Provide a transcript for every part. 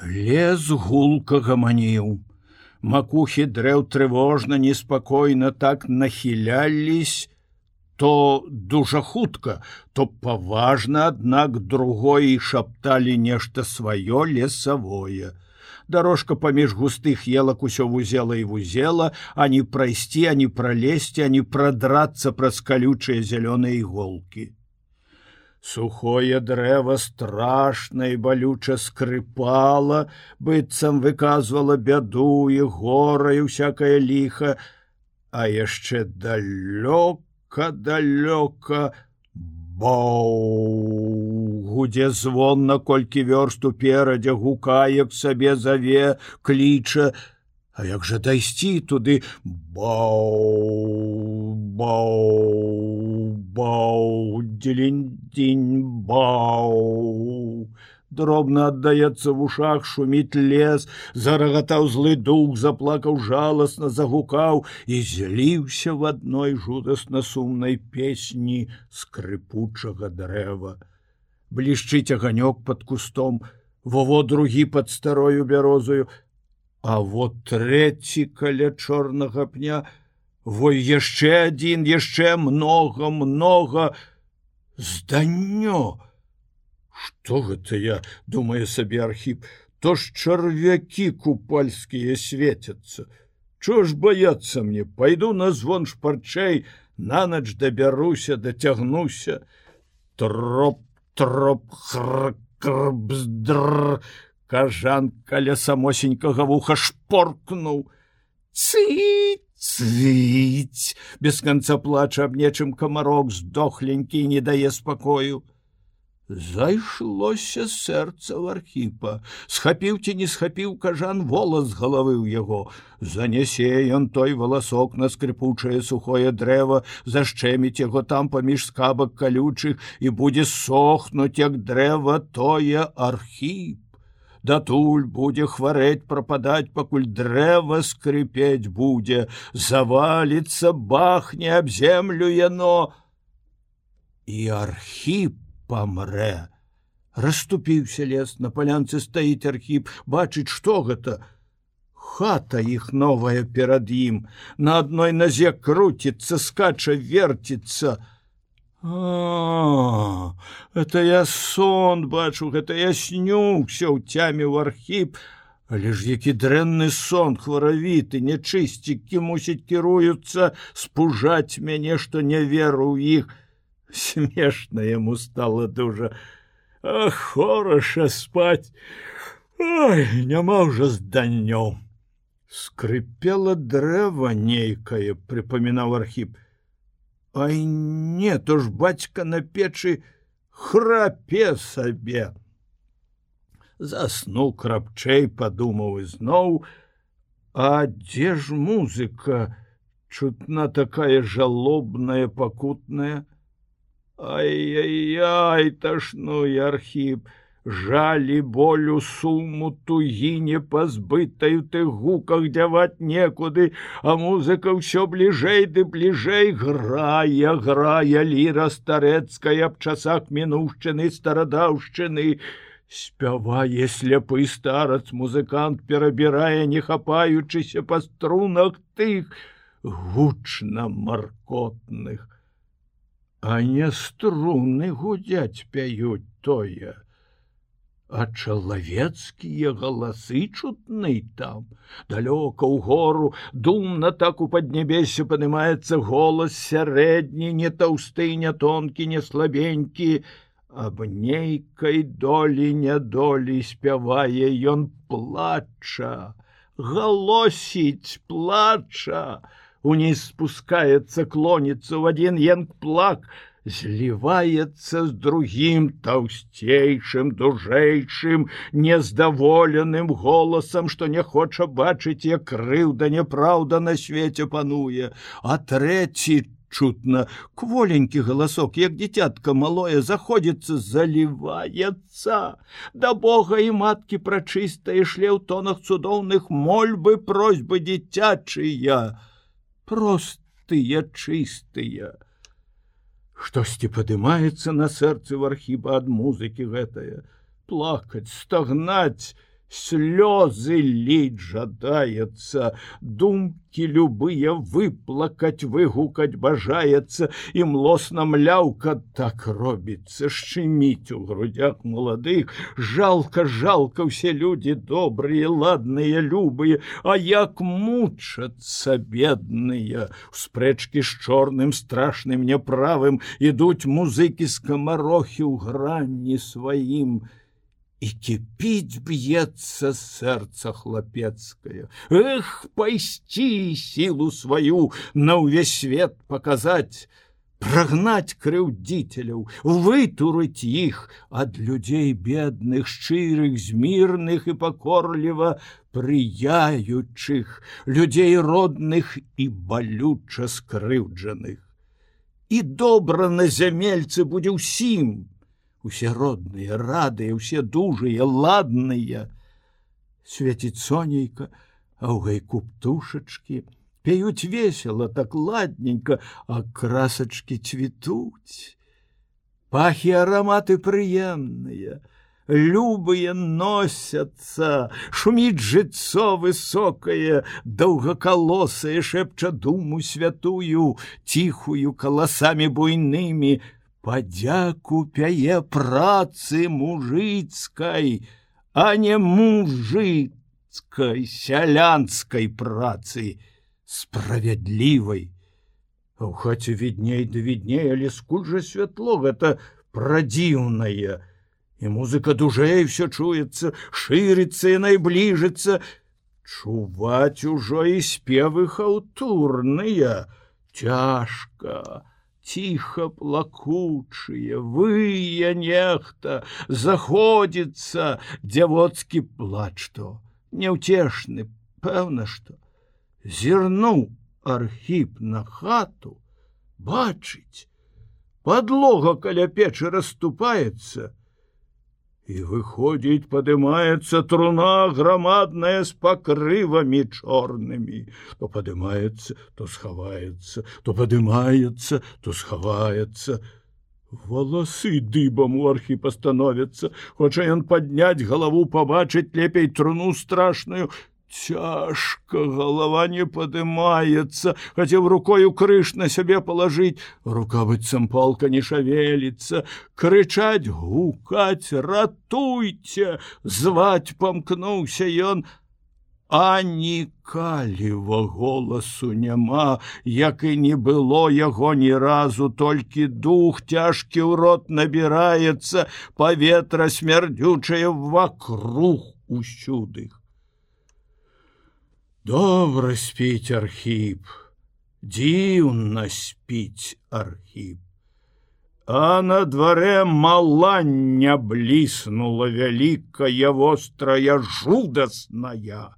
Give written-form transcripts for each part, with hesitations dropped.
Лес гулка гаманіў. Макухі дрэў трывожна, неспакойна так нахілялись, то дужа хутка, то паважна, аднак другое шапталі нешта сваё лесавое. Дорожка паміж густых елак усё вузела і вузела, ані прайсці, ані пралезці, ані прадрацца праз калючыя зялёныя іголкі. Сухое дрэва страшна і балюча скрыпала, быццам выказвала бяду і гора і всякае ліха, а яшчэ далёка бау гудзе звон, наколькі вёрст уперадзе, гукае к сабе, заве, кліча. А як жа дайсці туды? Бау, дзелень-дзень, бау. Дробна аддаецца в ушах, шуміць лес, зарагатаў злы дух, заплакаў жаласна, загукаў і зліўся в адной жудасна сумнай песні скрыпучага дрэва. Блішчыць аганёк пад кустом, во другі пад старою бярозою, а вот трэці каля чорнага пня, яшчэ адзін, яшчэ многа. Зданнё! Што гэта я, думае сабе Архіп, то ж чарвякі купальскія свецяцца. Чо ж баяцца мне? Пайду на звон шпарчэй, нанач дабяруся, дацягнуся. Троп, хр-кр-бздр. Кажан каля самосенькага вуха шпоркнуў. Цыць! Без канца плача аб нечым камарок здохленькі і не дае спакою. Зайшлося сэрца ў Архіпа. Схапіў ці не схапіў кажан волас з галавы ў яго. Занясе ён той валасок на скрыпучае сухое дрэва, зашчэміць яго там паміж скабак калючых і будзе сохнуць, як дрэва тое Архіп. Датуль будзе хварэць, прападаць, пакуль дрэва скрыпець будзе, заваліцца, бахне аб землю яно. І Архіп памрэ. Расступіўся лес, на палянцы стаіць Архіп, бачыць, што гэта. Хата іх новая перад ім, на адной назе круціцца, скача, верціцца. Это я сон бачу, гэта я снюўся, уцяміў Архіп. Але ж які дрэнны сон, хваравіты, нячысцікі, мусіць, кіруюцца спужаць мяне, што не веру ў іх. Смешна яму стала дужа. Хораша спаць. Ой, няма ўжо зданнёў. Скрыпела дрэва нейкае, прыпамінаў Архіп. Ай не, то ж бацька на печы храпе сабе. Заснуў крапчэй, падумаў ізноў, а дзе ж музыка? Чутна такая жалобная, пакутная. Ай-яй-яй, ташнуе Архіп. Жалі, болю, суму, тугі непазбытай у тых гуках дзяваць некуды, а музыка ўсё бліжэй ды бліжэй грае ліра старэцкая аб часах мінуўшчыны, старадаўшчыны. Спявае сляпы старац, музыкант перабірае, не хапаючыся па струнах тых гучна маркотных. А не струны гудзяць, пяюць тое. А чалавецкія галасы чутны там. Далёка ў гору, думна так у паднебесе падымаецца голас сярэдні, не таўсты, не тонкі, не слабенькі. Аб нейкай долі нядолі спявае ён, плача, галосіць, плача. Уніз спускаецца, клоніцца ў адзін енк-плак, зліваецца з другім таўсцейшым, дужэйшым, нездаволеным голасам, што не хоча бачыць, як крыўда, няпраўда на свеце пануе. А трэці чутна, кволенькі галасок, як дзіцятка малое, заходзіцца, заліваецца. Да Бога і маткі прачыстае шле ў тонах цудоўных мольбы, просьбы дзіцячыя, простыя, чыстыя. Штосьці падымаецца на сэрцы ў Архіпа ад музыкі гэтае. Плакаць, стагнаць Слёзы лить жадаецца, думкі любыя выплакаць, выгукаць бажаецца, і млосна мляўка так робіцца, шчыміць у грудях маладых. Жалка ўсе людзі добрыя, ладныя, любыя, а як мучацца бедныя. У спрэчкі з чорным страшным няправым ідуць музыкі скамарохі ў гранні сваім. І кіпіць б'ецца сэрца хлапецкае. Эх, пайсці сілу сваю на ўвесь свет паказаць, прагнаць крыўдзіцеляў, вытурыць іх ад людзей бедных, шчырых, змірных і пакорліва прыяючых, людзей родных і балюча скрыўджаных. І добра на зямельцы будзе ўсім, усе родныя, радыя, усе дужыя, ладныя. Свеціць сонейка, а ў гайку птушачкі, пеюць весела, так ладненька, а красачкі цвітуць. Пахі араматы прыемныя, любыя носяцца, шуміць жыццё высокае, доўгакалосае, шэпча думу святую, ціхую каласамі буйнымі, падзяку пяе працы мужыцкай, а не мужыцкай, сялянскай працы, справядлівай. А ў хаце відней да відней, але скуль жа святло гэта прадзіўнае. І музыка дужэй всё чуецца, шырыцца і найбліжыцца. Чуваць ужо і спевы хаўтурныя. Цяжка, ціха плакучыя, вые нехта, заходзіцца дзявоцкі плач то. Няўцешны, пэўна што. Зірнуў Архіп на хату, бачыць, падлога каля печы расступаецца, і выходзіць, падымаецца труна грамадная з пакрывамі чорнымі. То падымаецца, то схаваецца, то падымаецца, то схаваецца. Валасы дыбам у Архіпа становяцца, хоча ён падняць галаву, пабачыць лепей труну страшную. Цяжка, галава не падымаецца, хацеў рукою крыж на сябе палажыць, рука быццам палка не шавеліцца, крычаць, гукаць, ратуйце, зваць памкнуўся ён, а нікаліва голасу няма, як і не было яго ні разу, толькі дух цяжкі ў рот набіраецца, паветра смярдзючае вакруг усюды. Добра спіць Архіп, дзіўна спіць Архіп. А на дварэ малання бліснула вялікая, вострая, жудасная.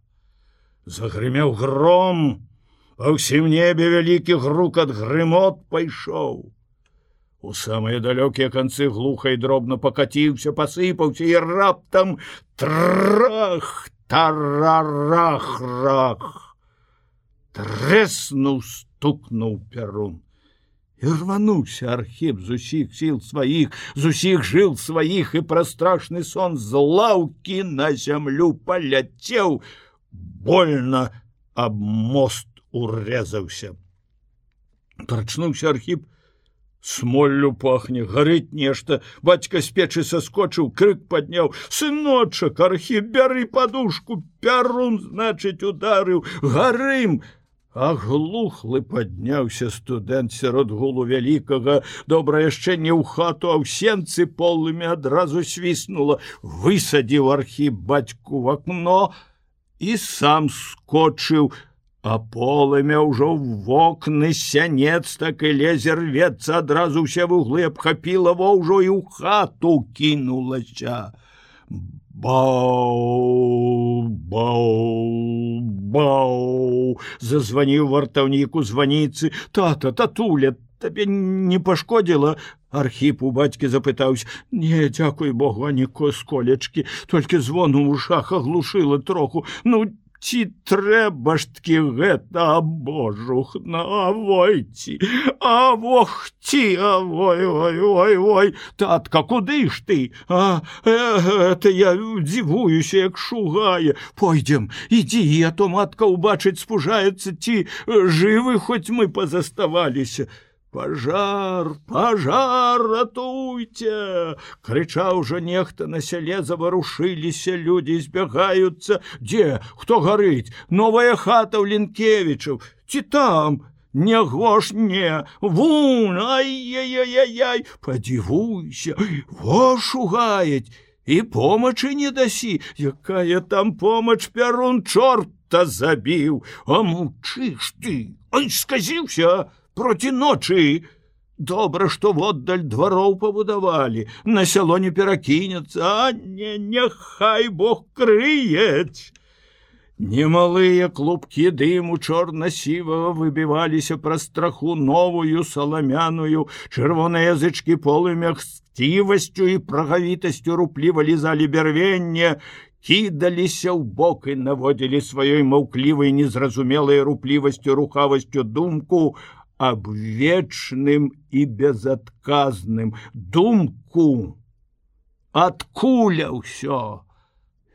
Загрымеў гром, па ўсім небе вялікі грукат, грымот пайшоў. У самыя далёкія канцы глуха і дробна пакаціўся, пасыпаўся, і раптам трах, тарарах-рах, трэснуў, стукнуў пярун. І рвануўся Архіп з усіх сіл сваіх, з усіх жыл сваіх, і пра страшны сон з лаўкі на зямлю паляцеў, больно аб мост урэзаўся. Прачнуўся Архіп, смоллю пахне, гарыць нешта. Бацька з печы саскочыў, крык падняў: «Сыночак, Архіп, бяры падушку, пярун, значыць, ударыў, гарым!» Аглухлы падняўся студэнт сярод гулу вялікага. Добра яшчэ не ў хату, а ў сенцы полымі адразу свіснула. Высадзіў Архіп бацьку в акно і сам скочыў. А полымя ўжо ў вокны сянец так і лезе, рвецца, адразу ўсе вуглы абхапіла, во ўжо і ў хату кінулася. Бау, бау, бау, зазваніў вартаўнік у званіцы. Тата, татуля, табе не пашкодзіла? Архіп у бацькі запытаўся. Не, дзякуй Богу, ані сколечкі, толькі звон у вушах аглушыла троху. Ну, Ці трэба ж ткі гэта абожух навойці, авохці, ой, татка, куды ж ты? Это я дзівуюся, як шугае. Пойдзем, ідзі, а то матка ўбачыць спужаецца, ці жывы хоць мы пазаставаліся. Пажар, ратуйце! Крычаў ужо нехта на сяле, заварушыліся людзі, збягаюцца. Дзе? Хто гарыць? Новая хата ў Лінкевічаў. Ці там? Няго ж не! Вунь! Ай-яй-яй-яй! Падзівуйся! Во шугаюць! І помачы не дасі! Якая там помач, Пярун чорта забіў! А маўчыш ты! Ай, сказіўся! Проці ночы. Добра, што воддаль двароў пабудавалі, на сяло не перакінецца, а няхай Бог крыець. Немалыя клубкі дыму чорна-сівага выбіваліся праз страху новую саламяную, чырвоныя язычкі полымя хсцівасцю і прагавітасцю рупліва лізалі бярвенне, кідаліся ў бок і наводзілі сваёй маўклівай незразумелай руплівасцю, рухавасцю думку аб вечным і безадказным, думку, адкуля ўсё,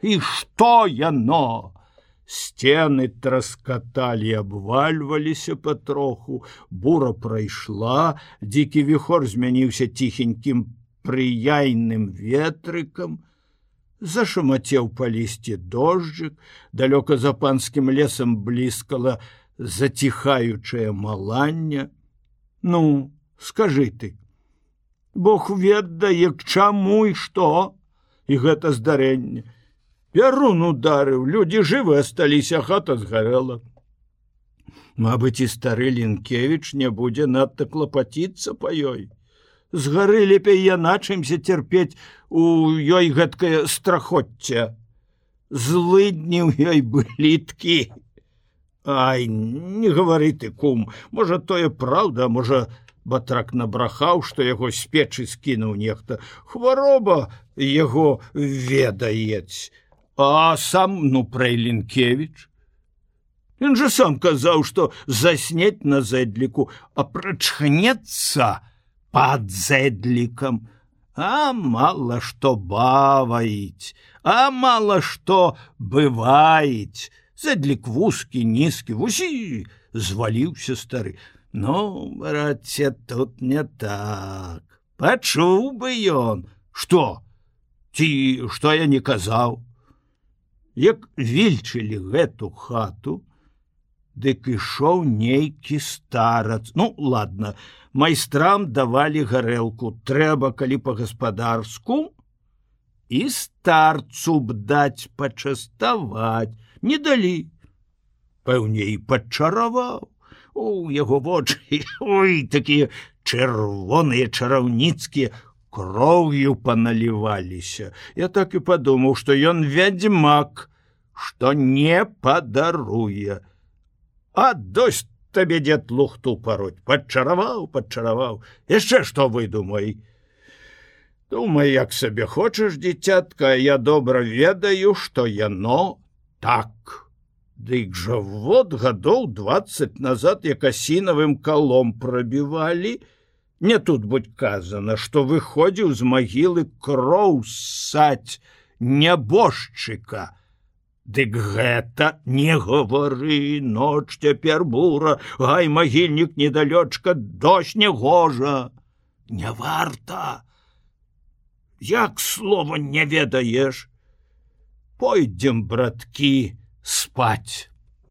і што яно? Сцены траскаталі, абвальваліся патроху, бура прайшла, дзікі віхор змяніўся ціхенькім прыяйным ветрыкам, зашамацеў па лісці дожджык, далёка за панскім лесам бліскала заціхаючае маланне. Ну, скажы ты, Бог ведае, к чаму і што? І гэта здарэнне. Пярун ударыў, людзі жывы асталіся, хата згарэла. Мабыць, і стары Лінкевіч не будзе надта клапаціцца па ёй. Згары лепей яна, чымся цярпець у ёй гэткае страхоцце. Злыдні ў ёй бліткі. Ай, не гавары ты, кум, можа, тое праўда, можа, батрак набрахаў, што яго з печы скінуў нехта. Хвароба яго ведаець. А сам, пра Лінкевіч. Ён жа сам казаў, што заснець на зэдліку, а прачхнецца пад зэдлікам. А мала што баваіць, а мала што бываіць. Зэдлік вузкі, нізкі, вусі, зваліўся стары. Ну, браце, тут не так. Пачуў бы ён. Што? Ці што я не казаў? Як вільчылі гэту хату, дык ішоў нейкі старац. Ну, ладно, майстрам давалі гарэлку. Трэба, калі па-гаспадарску, і старцу б даць пачаставаць. Не далі. Пэўне, і падчараваў. У яго вочы, ой, такія чырвоныя, чараўніцкія, кроўю паналіваліся. Я так і падумаў, што ён вядзьмак, што не падаруе. А досць табе дзед лухту пароть. Падчараваў. Яшчэ што выдумай? Думай, як сабе хочаш, дзіцятка, я добра ведаю, што яно так. Дык жа вот гадоў 20 назад, як асінавым калом прабівалі, не тут будь казана, што выходзіў з магілы кроў ссаць нябожчыка. Дык гэта не гавары, ноч цяпер бура, гай, магільнік недалёчка, дождь не гожа. Не варта. Як слова не ведаеш? Пойдзем, браткі, спаць.